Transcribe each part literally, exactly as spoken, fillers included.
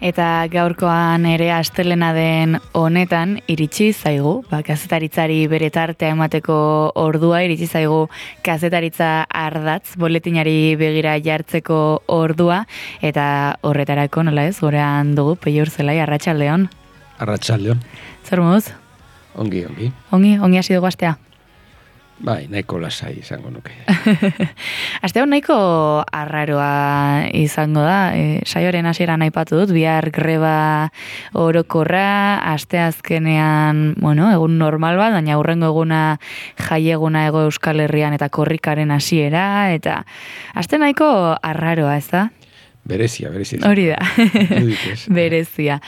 Eta gaurkoan ere astelena den honetan iritsi zaigu, ba, kazetaritzari bere tartea emateko ordua, iritsi zaigu kazetaritza ardatz, boletinari begira jartzeko ordua, eta horretarako nola ez, gorean dugu, Peio Urzelai, arratsaldeon. Arratsaldeon. Zer moduz? Ongi, ongi. Ongi, ongi hasi dugu astea. Bai, nahiko lasai izango nuke. Aste hon nahiko arraroa izango da, e, saioaren hasieran aipatu dut, bihar greba orokorra, asteazkenean, bueno, egun normal bat, baina hurrengo eguna jaieguna Hego Euskal Herrian eta korrikaren hasiera, eta aste nahiko arraroa, ez da? Berezia, berezia. Hori da, berezia.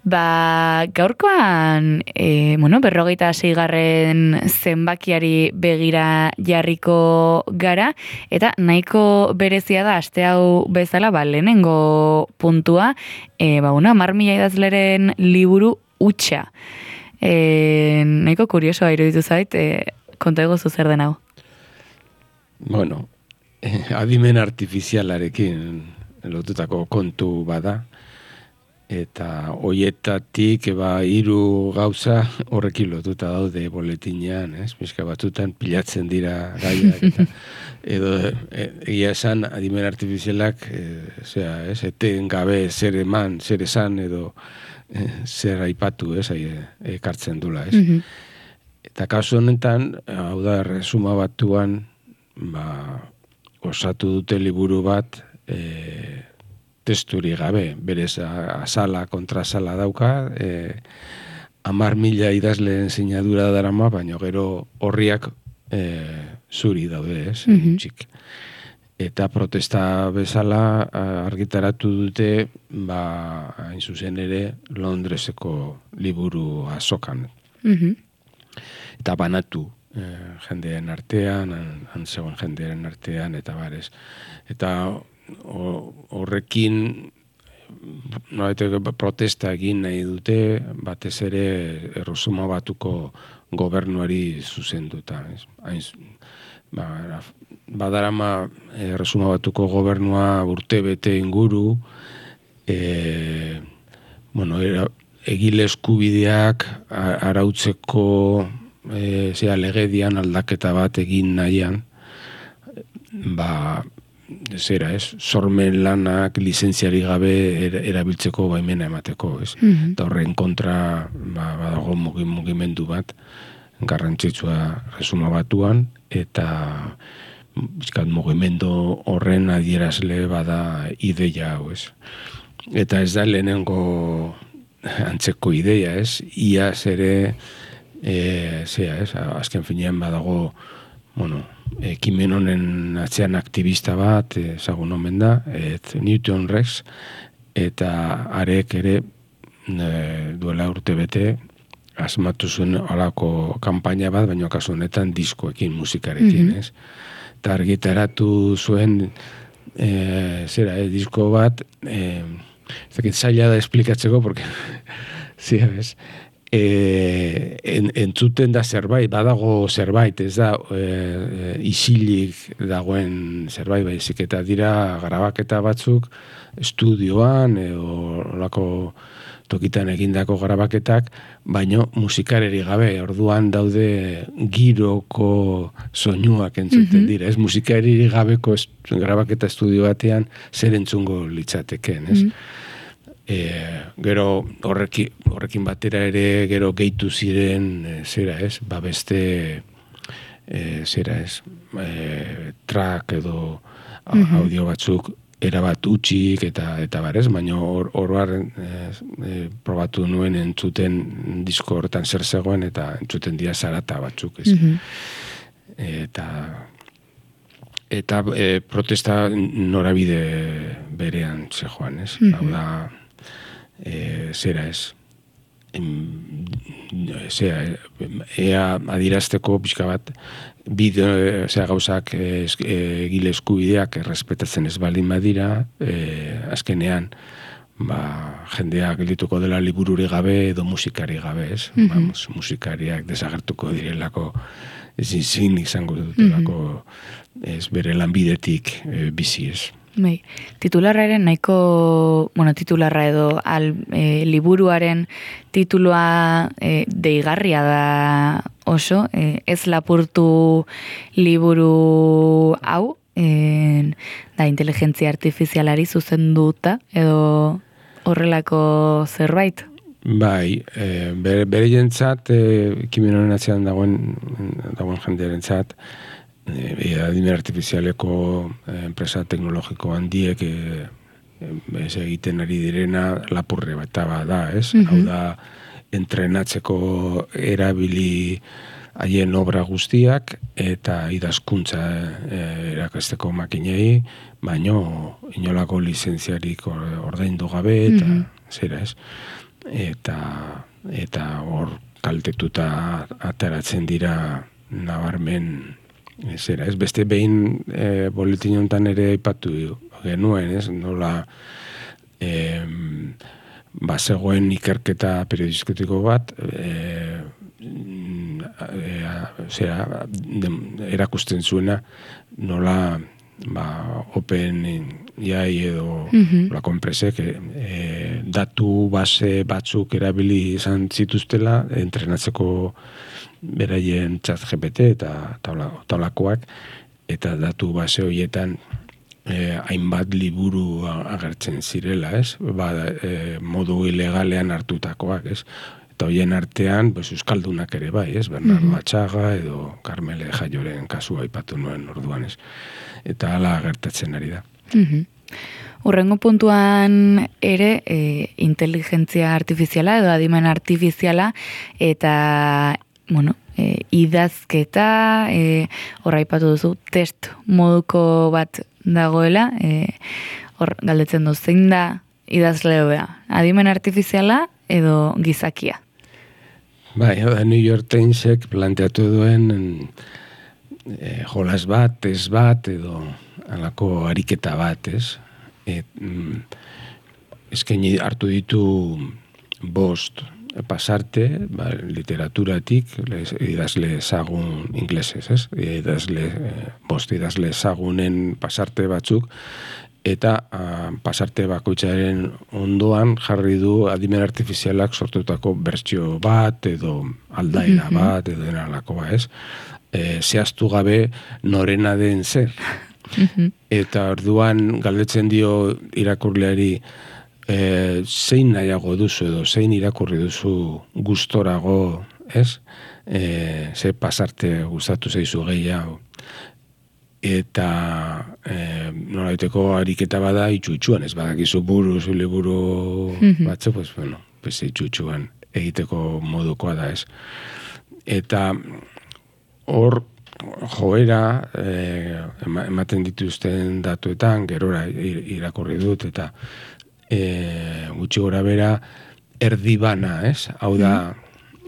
Ba, gaurkoan, e, bueno, berrogeita seigarren zenbakiari begira jarriko gara, eta nahiko berezia da, aste hau bezala, ba, lehenengo puntua, e, ba, una, hamar mila idazleren liburu hutsa. E, nahiko kuriosoa iruditu zait, e, konta egozu zer den hau. Bueno, eh, adimen artifizialarekin lotutako kontu bada, eta hoietatik eba hiru gauza horrekin lotuta daude boletinean, ez? Pizka batzutan pilatzen dira gaiak eta edo e, egia esan adimen artifizialak e, zera, ez, eten gabe zer eman, zer esan edo e, zer aipatu, ez, ekartzen dula, ez? Mm-hmm. Eta kasu honetan, hau da, resuma batuan, ba, osatu dute liburu bat, e, testuri gabe, berez azala, kontrasala dauka, eh, amar mila idazleen sinadura darama, baina gero horriak eh, zuri daude, ez, mm-hmm. txik. Eta protesta bezala argitaratu dute, ba, hain zuzen ere, Londreseko liburu azokan. Mm-hmm. Eta banatu eh, jendearen artean, han zegoen jendearen artean, eta barez. Eta horrekin no, protesta egin nahi dute, batez ere Erresuma Batuko gobernuari zuzenduta. Ba, badarama Erresuma Batuko gobernua urte bete inguru, e, bueno, era, egile eskubideak arautzeko e, zera, legedian aldaketa bat egin nahian, ba, zera, ez, sormen lanak lizentziari gabe erabiltzeko baimena emateko, ez. Mm-hmm. Eta horren kontra, ba, badago mugimendu bat, garrantzitsua Erresuma Batuan, eta bizkat mugimendu horren adierazle bada ideia hau, ez. Eta ez da lehenengo antzeko ideia, ez, iaz ere, e, zera, ez, azken finean badago, bueno, ekimen honen atzean aktivista bat, ezagun omen da, et Newton Rex, eta arek ere e, duela urte bete asmatu zuen alako kanpaina bat, baina kasu honetan diskoekin, musikarekin, mm-hmm. ez? Eta argitaratu zuen e, zera, e, disko bat, e, ezakit zaila da esplikatzeko, porque, zira, ez? E, en, entzuten da zerbait, badago zerbait, ez da e, isilik dagoen zerbait, baizik eta dira grabaketa batzuk estudioan edo olako tokitan egindako grabaketak, baino musikareri gabe, orduan daude giroko soinuak entzuten mm-hmm. dira, ez musikareri gabeko est, grabaketa estudio batean zer entzungo litzateken, ez? Mm-hmm. E, gero horrekin, horrekin batera ere gero gehitu ziren e, zera ez, ba beste e, zera ez, e, track edo mm-hmm. audio batzuk erabat utxik eta eta barez, baina hor or, e, probatu nuen entzuten disko horretan zer zegoen eta entzuten dira zarata batzuk, ez? Mm-hmm. Eta eta e, protesta norabide berean zegoan, ez? Mm-hmm. Hau da, E, zera ez em, zera ea adirazteko pixka bat bideo, zera gauzak egile eskubideak errespetatzen ez baldin badira e, azkenean ba, jendea geldituko dela libururi gabe edo musikari gabe, ez? Mm-hmm. Ba, musikariak desagertuko direlako ezin zin izango dutelako mm-hmm. ez bere lanbidetik e, bizi, ez? Bai, titularraren nahiko, bueno, titularra edo al, e, liburuaren titulua e, deigarria da oso, e, ez lapurtu liburu hau, e, da inteligentzia artifizialari zuzenduta edo horrelako zerbait. Bai, e, bere, bere jentzat, e, ekimen honen atzean dagoen, dagoen jendearen zat, e, adimen artifizialeko enpresa teknologiko handiek e, ez egiten ari direna lapurre bat da, ez? Mm-hmm. Hau da, entrenatzeko erabili haien obra guztiak eta idazkuntza e, erakasteko makinei, baino inolako lizentziarik ordaindu gabe eta mm-hmm. zera, ez? Eta eta hor kaltetuta ateratzen dira nabarmen zera, ez? Beste behin e, boletin honetan ere aipatu genuen, ez? Nola e, bazegoen ikerketa periodistiko bat e, e, zera, de, erakusten zuena nola ba, Open A I edo mm-hmm. la enpresek e, datu base batzuk erabili izan zituztela entrenatzeko beraien chat G P T eta taulakoak eta datu base horietan eh, hainbat liburu agertzen zirela, ez? Ba, eh, modu ilegalean hartutakoak, ez? Eta hoien artean, pues, euskaldunak ere bai, ez? Bernardo mm-hmm. Atxaga edo Carmele Jaioren kasua aipatu nuen orduan, ez? Eta hala gertatzen ari da. Mm-hmm. Urrengo puntuan ere e, inteligentzia artifiziala edo adimen artifiziala eta bueno, e, idazketa, e, horra ipatu duzu, test moduko bat dagoela, e, hor galdetzen du, zein da idazleoa? Adimen artifiziala edo gizakia? Bai, da New York Timesek planteatu duen e, jolas bat, test bat, edo alako ariketa bat, ez? Et, mm, eskaini hartu ditu bost pasarte, ba, literaturatik, les, idazle ezagun inglesez, ez? Idazle, eh, bost idazle ezagunen pasarte batzuk, eta a, pasarte bakoitzaren ondoan jarri du adimen artifizialak sortutako bertsio bat, edo aldaera mm-hmm. bat, edo denalako ba, ez? E, zehaztu gabe norena den zer. Mm-hmm. Eta orduan galdetzen dio irakurleari, E, zein nahiago duzu edo zein irakurri duzu gustorago, ez? E, ze pasarte gustatu zaizu gehiago. Eta e, nolaiteko ariketa bada itxu-itxuan, ez badakizu buruz, liburu mm-hmm. batzu, pues, bueno, pues, itxu-itxuan egiteko modukoa da, ez? Eta hor joera e, ematen dituzten datuetan, gerora irakurri dut, eta E, gutxi gora bera erdi bana, ez? Hau da,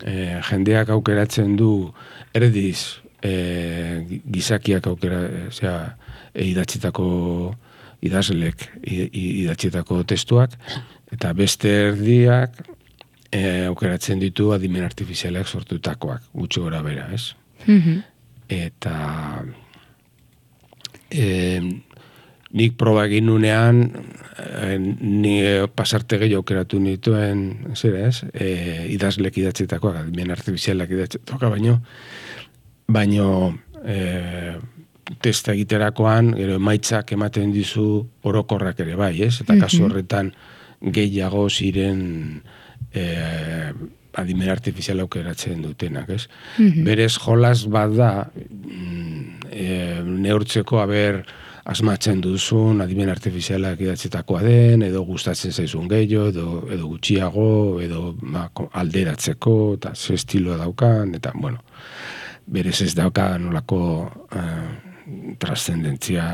e, jendeak aukeratzen du erdiz e, gizakiak aukera, zera, e, idatzitako idazlek idatzitako testuak, eta beste erdiak e, aukeratzen ditu adimen artifizialak sortutakoak, gutxi gora bera, ez? Mm-hmm. Eta e, nik proba egin nunean, ni pasarte gehiago aukeratu nituen, zera ez, e, idazlek idatzitakoak, adimen artifizialak idatzitakoak, baino, baino e, testa egiterakoan, gero emaitzak ematen dizu orokorrak ere bai, ez? Eta kasu horretan gehiago ziren e, adimen artifiziala aukeratzen dutenak, ez? Mm-hmm. Berez jolas bat da, e, neurtzeko haber asmatzen duzun adimen artifizialak idatzitakoa den, edo gustatzen zaizun gehiago, edo, edo gutxiago, edo ba, alderatzeko, eta ze estiloa daukan, eta, bueno, berez ez dauka nolako uh, trascendentzia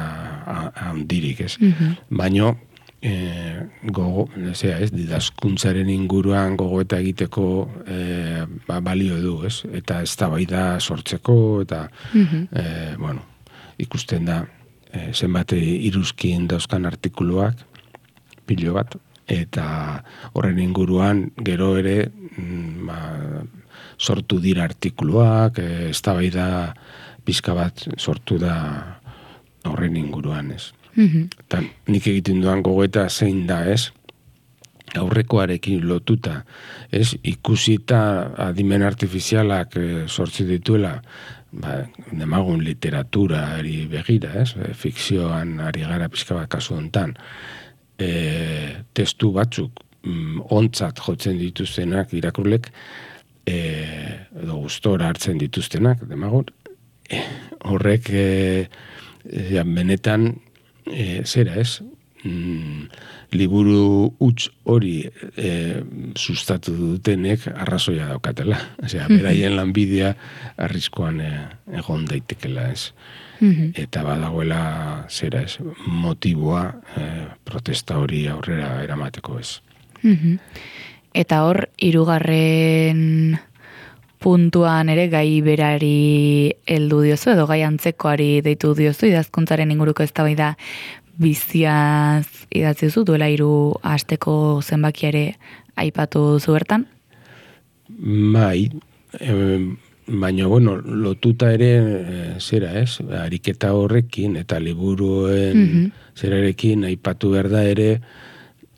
handirik, ez? Mm-hmm. Baino, eh, gogo, zera, ez, didazkuntzaren inguruan gogoeta egiteko eh, ba, balio du, ez? Eta ez da bai da sortzeko, eta, mm-hmm. eh, bueno, ikusten da, zenbat iruzkin dauzkan artikuluak, pilo bat, eta horren inguruan gero ere ba, sortu dira artikuluak, eztabaida pizka bat sortu da horren inguruan, ez. Mm-hmm. Eta nik egiten duan gogoeta zein da, ez? Aurrekoarekin lotuta, ez? Ikusita adimen artifizialak e, sortzi dituela, ba, demagun literatura ari begira, ez? E, fikzioan ari gara pixka bat kasu hontan. E, testu batzuk mm, ontzat jotzen dituztenak irakurlek, e, edo gustora hartzen dituztenak, demagun, e, horrek e, e, benetan e, zera, ez? Mm, liburu huts hori e, sustatu dutenek arrazoia daukatela. Osea, beraien lanbidea arriskoan e, egon daitekela, ez. Mm-hmm. Eta badagoela zera, ez, motiboa e, protesta hori aurrera eramateko, ez. Mm-hmm. Eta hor, hirugarren puntuan ere gai berari heldu diozu, edo gai antzekoari deitu diozu, idazkuntzaren inguruko eztabaida biziaz idatzi duzu, duela hiru asteko zenbakia ere aipatu duzu bertan? Bai, e, baina, bueno, lotuta ere e, zera, ez? Ariketa horrekin eta liburuen mm-hmm. zerarekin aipatu behar da ere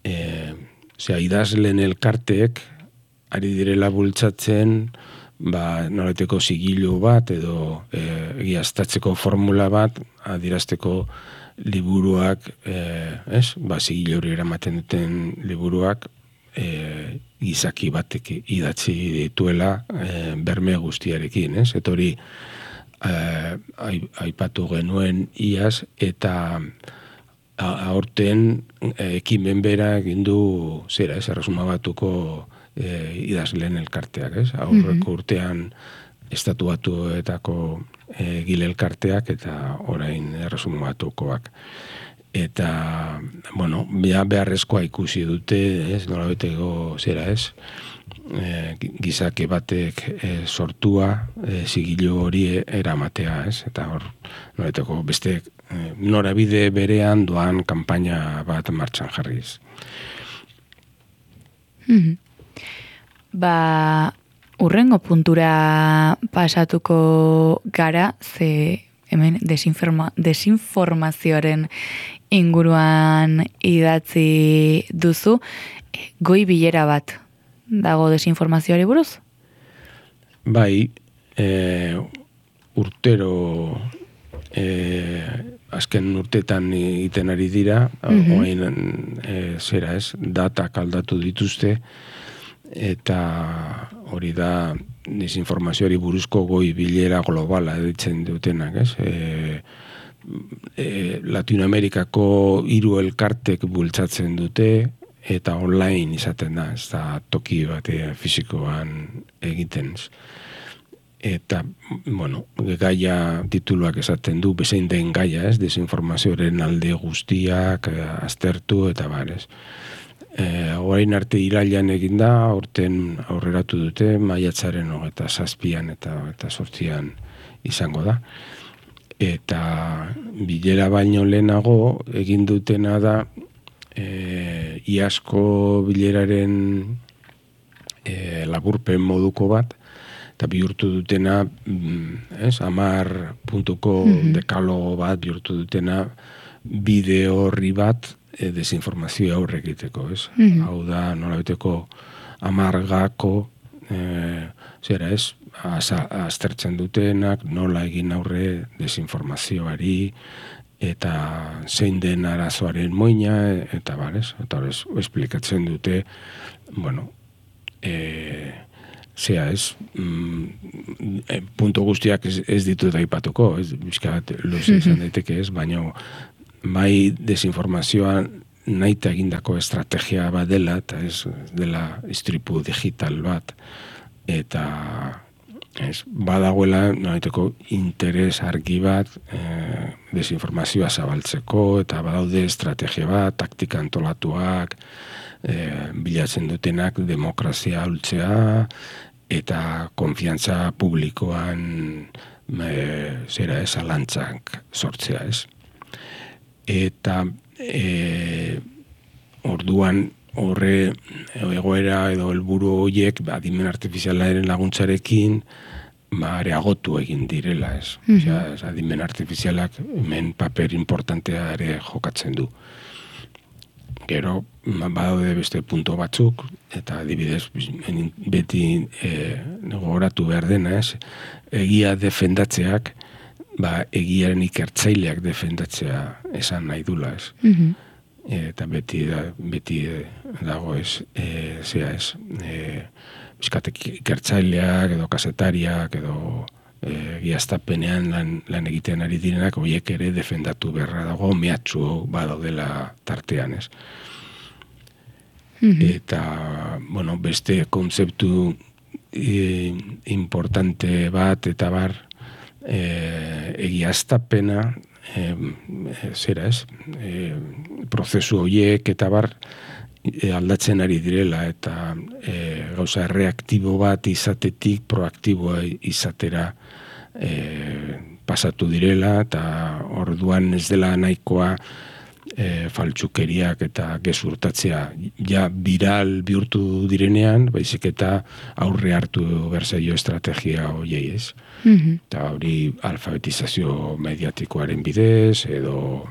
e, zera, idazlen elkarteek ari direla bultzatzen ba, nolateko zigilu bat edo e, egiaztatzeko formula bat adirazteko liburuak, eh, ez? Ba, zigilu hori eramaten duten liburuak eh, gizaki batek idatzi dituela eh, berme guztiarekin, ez? Eta hori eh, aipatu genuen iaz, eta aurten eh, ekimen bera egin du zera, ez? Erresuma Batuko eh, idazleen elkarteak, ez? Aurreko mm-hmm. urtean Estatu Batuetako e, gile elkarteak eta orain Erresuma Batukoak. Eta, bueno, beharrezkoa ikusi dute, ez, nola beteko zera, ez, e, gizake batek e, sortua, e, zigilu hori eramatea, ez, eta hor, nola beteko beste e, norabide berean doan kanpaina bat martxan jarriz. Mm-hmm. Ba... Urrengo puntura pasatuko gara, ze hemen desinforma, desinformazioaren inguruan idatzi duzu, goi bilera bat dago desinformazioari buruz? Bai, e, urtero e, azken urtetan egiten ari dira, mm-hmm. oain e, zera ez, datak aldatu dituzte, eta hori da desinformazioari buruzko goi bilera globala ditzen dutenak, ez? E, e, Latinoamerikako hiru elkartek bultzatzen dute eta online izaten da, ez da toki bate fisikoan egiten. Eta, bueno, gaia tituluak esaten du, bezain den gaia, ez? Desinformazioaren alde guztiak aztertu eta barez. E, orain arte irailan egin da, aurten aurreratu dute, maiatzaren hogeita zazpian eta eta sortzian izango da. Eta bilera baino lehenago egin dutena da e, iazko bileraren e, laburpen moduko bat, eta bihurtu dutena, ez, amar puntuko mm-hmm. dekalogo bat, bihurtu dutena bideo horri bat, E, desinformazioa aurre egiteko, ez? Mm-hmm. Hau da, nola beteko amargako, e, zera ez, aztertzen dutenak, nola egin aurre desinformazioari, eta zein den arazoaren moina, eta barez, eta horrez, esplikatzen dute, bueno, e, zera ez, mm, e, punto guztiak ez, ez ditut aipatuko, ez, bizkat, luze izan daiteke ez, baina bai desinformazioa nahita egindako estrategia bat dela, eta ez dela istripu digital bat, eta ez, badagoela nahiteko interes argi bat e, desinformazioa zabaltzeko, eta badaude estrategia bat, taktika antolatuak, e, bilatzen dutenak demokrazia ultzea, eta konfiantza publikoan e, zera ez, alantzak sortzea ez. Eta e, orduan horre egoera edo helburu horiek adimen artifizialaren laguntzarekin ba, areagotu egin direla, ez. Mhm. Osea, ez, adimen artifizialak hemen paper importantea ere jokatzen du. Gero, ba, badaude beste punto batzuk, eta adibidez, beti e, gogoratu behar dena, ez, egia defendatzeak, ba, egiaren ikertzaileak defendatzea esan nahi dula, ez. Mhm. Eta beti, da, beti dago ez, e, zera ez, e, bizkatek ikertzaileak, edo kasetariak, edo e, giaztapenean lan, lan egiten ari direnak, horiek ere defendatu beharra dago, mehatxu badaudela tartean, ez. Mhm. Eta, bueno, beste kontzeptu e, importante bat, eta bar, e, egiaztapena, e, zera ez, e, prozesu horiek, eta bar, e, aldatzen ari direla, eta e, gauza reaktibo bat izatetik proaktiboa izatera e, pasatu direla, eta orduan ez dela nahikoa e, faltsukeriak eta gezurtatzea ja viral bihurtu direnean, baizik eta aurre hartu berzaio estrategia horiei, ez. Mhm. Eta hori alfabetizazio mediatikoaren bidez, edo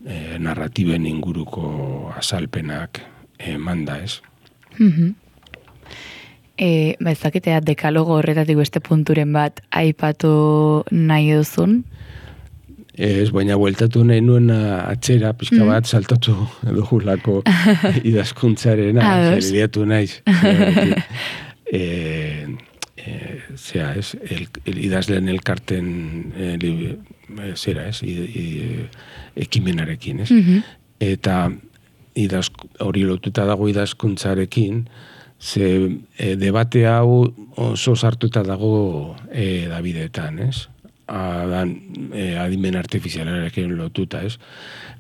e, narratiben inguruko azalpenak emanda, ez. Mhm. E, ba, ez dakitea dekalogo horretatik beste punturen bat aipatu nahi duzun? Ez, baina bueltatu nahi nuen atxera, pixka bat, saltatu dugulako idazkuntzarena, zerbiatu naiz. e, e, zera, ez, el, el idazlen elkarten e, li, e, zera, ez, i, i, ekimenarekin, ez. Mhm. Eta idaz, hori lotuta dago idazkuntzarekin, ze e, debate hau oso sartuta dago e, Davidetan, ez? Adan, e, adimen artifizialarekin lotuta, ez?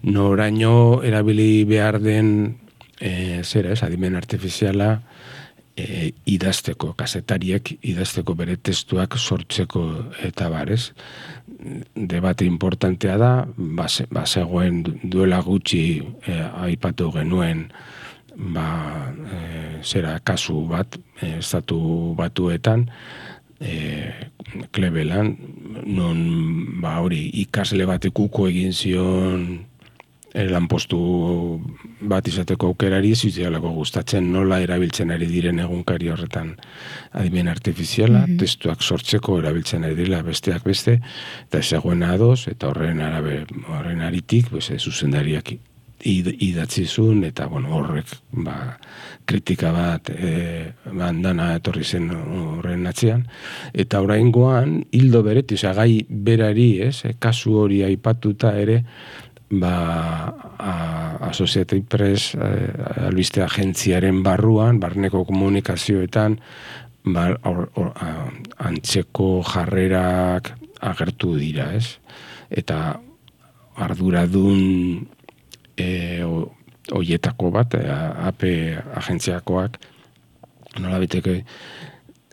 Noraino erabili behar den e, zera, ez? Adimen artifiziala e, idazteko, kazetariek idazteko bere testuak sortzeko eta bar, ez? Debate importantea da, bazegoen duela gutxi e, aipatu genuen ba, e, zera kasu bat, e, estatu batuetan, e, Cleveland, non ba hori ikasle batek uko egin zion e, lanpostu bat izateko aukerari, zizialako gustatzen nola erabiltzen ari diren egunkari horretan adimen artifiziala, mm-hmm. testuak sortzeko erabiltzen ari dira besteak beste, eta ezagoen ados, eta horren arabe, horren aritik, pues, zuzendariak idatzizun, eta bueno, horrek ba, kritika bat e, bandana etorri zen horren atzean, eta oraingoan hildo bereti, osea, gai berari, ez, kasu hori aipatuta ere, ba, a, Associated Press a, albiste agentziaren barruan, barneko komunikazioetan, ba, or, or, a, antzeko jarrerak agertu dira, ez? Eta arduradun E, oietako bat, A P agentziakoak, nola biteke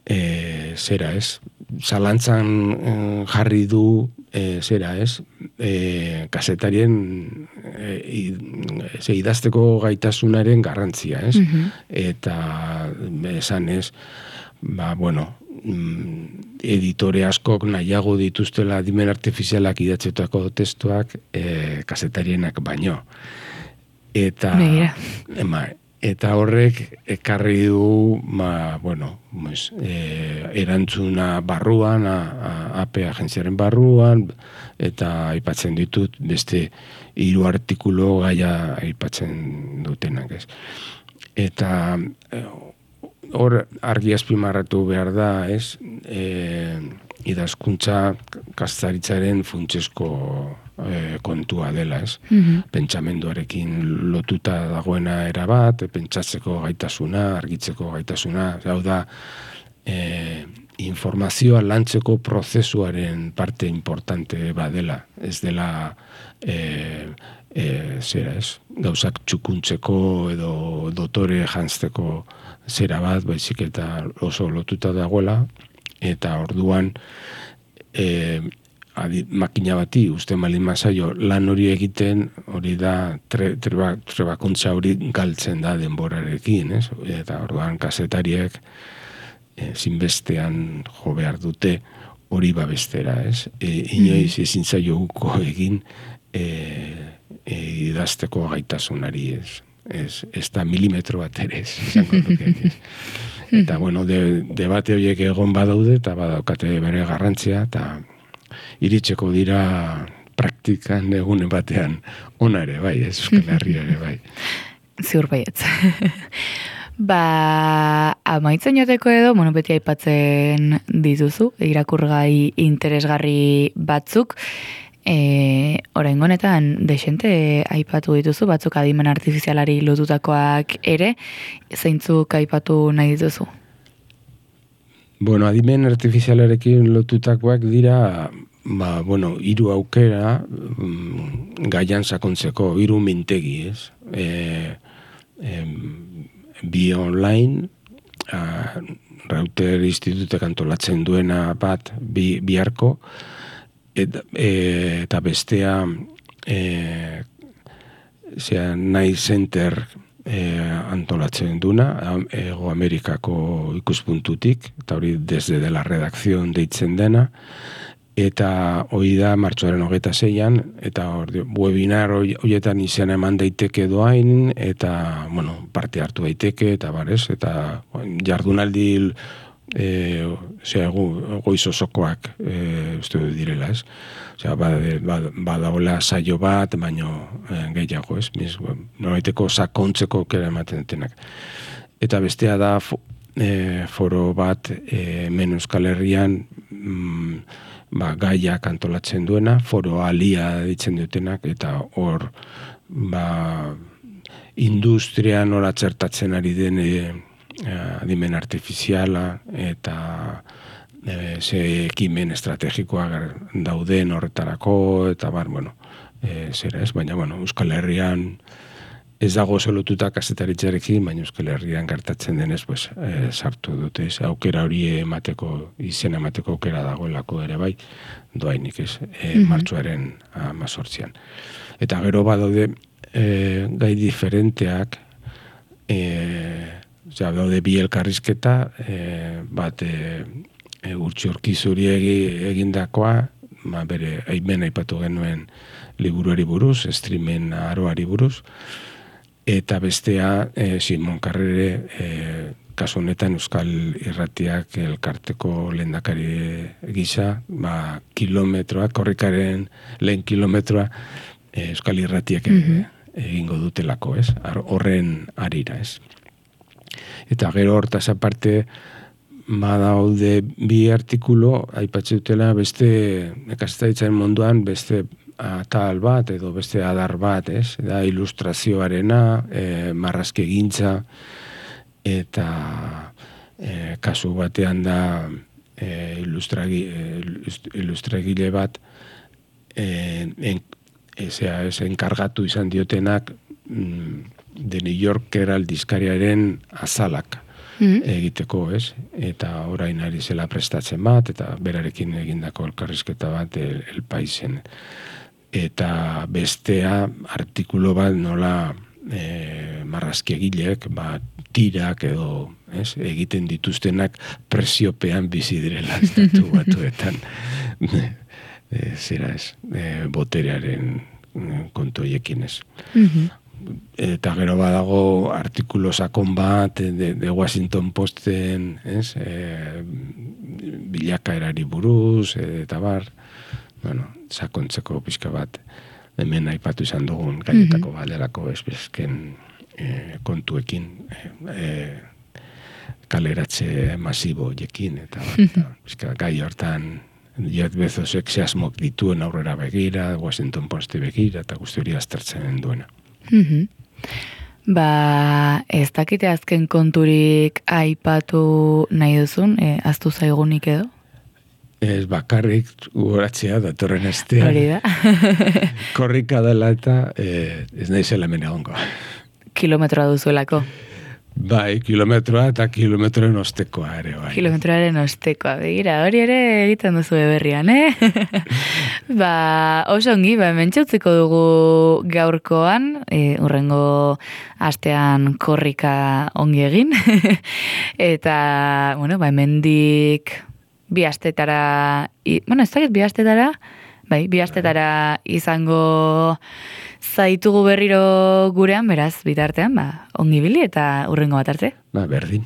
e, zera ez, zalantzan e, jarri du e, zera ez, e, kasetarien e, e, idazteko gaitasunaren garrantzia, ez? Mm-hmm. Eta esan ez, ba, bueno, editore askok nahiago dituztela adimen artifizialak idatzetako testuak e, kasetarienak baino. Eta, ema, eta horrek ekarri du, ma, bueno, pues, e, erantzuna barruan, A P agentziaren barruan, eta aipatzen ditut beste hiru artikulu gaia aipatzen dutenak, ez. Eta hor argi azpimarratu behar da, ez, e, idazkuntza kaztaritzaren funtsezko e, kontua dela, ez. Mm-hmm. Pentsamenduarekin lotuta dagoena erabat, pentsatzeko gaitasuna, argitzeko gaitasuna, hau da, e, informazioa lantzeko prozesuaren parte importante badela, ez dela e, e, zera ez, gauzak txukuntzeko edo dotore jantzeko zera bat, baizik eta oso lotuta dagoela, eta orduan e, adi, makina bati uste malin mazaio lan hori egiten, hori da tre, treba, trebakuntza hori galtzen da denborarekin, ez? Eta orduan kazetariek e, zinbestean jo behar dute hori babestera, ez? E, inoiz ezin zaioguko egin e, e, idazteko gaitasunari, ez? Ez, ez da milimetro bat ere, ez, izango duke, ez. Eta, bueno, de, debate horiek egon badaude, eta badaukate bere garrantzia, eta iritseko dira praktikan egunen batean ona ere, bai, ez, Euskal Herria ere, bai. Ziur baietz. Ba, amaitzen joteko edo, bueno, beti aipatzen dituzu, irakurgai interesgarri batzuk, E, orain honetan desente aipatu dituzu, batzuk adimen artifizialari lotutakoak ere, zeintzuk aipatu nahi dituzu? Bueno, adimen artifizialarekin lotutakoak dira, ba, bueno, hiru aukera mm, gaian sakontzeko, hiru mintegi, ez? E, e, bi online, a, Reuter Institutek antolatzen duena bat, bi, biharko, Eta, e, eta bestea e, zera, Night Center e, antolatzen duna, Ego Amerikako ikuspuntutik, eta hori desde de la redakzion deitzen dena, eta hori da martxoaren hogeita zeian, eta hori webinar horietan izan eman daiteke doain, eta, bueno, parte hartu daiteke, eta barez, eta jardunaldi E, osea, goiz osokoak e, uste direla, ez? Osea, badagoela saio bat, baino e, gehiago, ez? Mis, noraiteko sakontzeko kera ematen detenak. Eta bestea da fo, e, foro bat e, hemen Euskal Herrian mm, ba, gaiak antolatzen duena, foro alia ditzen dutenak, eta hor ba, industrian hor atzertatzen ari den e, adimen artifiziala eta e, ze ekimen estrategikoak dauden horretarako eta bar, bueno, e, zera ez, baina, bueno, Euskal Herrian ez dago zelotuta kazetaritzarekin, baina Euskal Herrian gertatzen denez, pues, e, sartu dute, ez, aukera hori emateko, izena emateko aukera dagoelako ere bai, doainik ez, e, mm-hmm. martxoaren amazortzian. Eta gero badaude e, gai diferenteak, e, Osea, daude bi elkarrizketa, e, bat e, e, Urtxi Urkizuri egindakoa, ba, bere aimen aipatu genuen liburuari buruz, streamen aroari buruz, eta bestea e, Simon Karrere, e, kasu honetan Euskal Irratiak elkarteko lehendakari gisa, ba, kilometroak, korrikaren lehen kilometroa e, Euskal Irratiak mm-hmm. egingo dutelako, ez? Horren arira, ez? Eta gero hortaz aparte badaude bi artikulo aipatzen dutela beste nekazetaritzaren munduan beste atal bat edo beste adar bat, ez? Da ilustrazioarena, e, marrazkegintza eta e, kasu batean da e, ilustragi, ilustragile bat e, en, ezea, ez enkargatu izan diotenak mm, de New Yorker aldizkariaren azalak mm-hmm. egiteko, ez? Eta orain ari zela prestatzen bat, eta berarekin egindako elkarrizketa bat el, el paisen. Eta bestea artikulo bat nola e, marrazkiegilek, ba, tirak edo, ez? Egiten dituztenak presiopean bizi direla estatu batuetan. e, zera ez, e, boterearen kontu hoiekin ez. Mm-hmm. Eta gero badago artikulo sakon bat de, de Washington Posten, ez? E, bilakaerari buruz, eta bar, bueno, sakontzeko pixka bat, hemen aipatu izan dugun gaietako mm-hmm. balerako ezbezken e, kontuekin, e, kaleratze masibo jekin, eta mm-hmm. pixka gai hortan Jeff Bezosek zehazmok dituen aurrera begira, Washington Posti begira, eta guzti hori aztertzen duena. Mm-hmm. Ba, ez dakite azken konturik aipatu nahi duzun, e, aztu zaigunik edo? Ez bakarrik goratzea datorren astean. Hori da. Korrika dela eta e, ez nahi zela hemen egongo. Kilometroa duzuelako. Bai, kilometroa eta kilometroen ostekoa ere, bai. Kilometroaren ostekoa, begira, hori ere egiten duzu eberrian, eh? Ba, oso ongi, ba, mentxautziko dugu gaurkoan, e, urrengo astean korrika ongi egin, eta, bueno, ba, hemendik bi astetara, i, bueno, ez dakit bi astetara, bai, bi astetara izango zaitugu berriro gurean, beraz, bitartean, ba, ongi bili eta urrengo bat arte. Ba, berdin.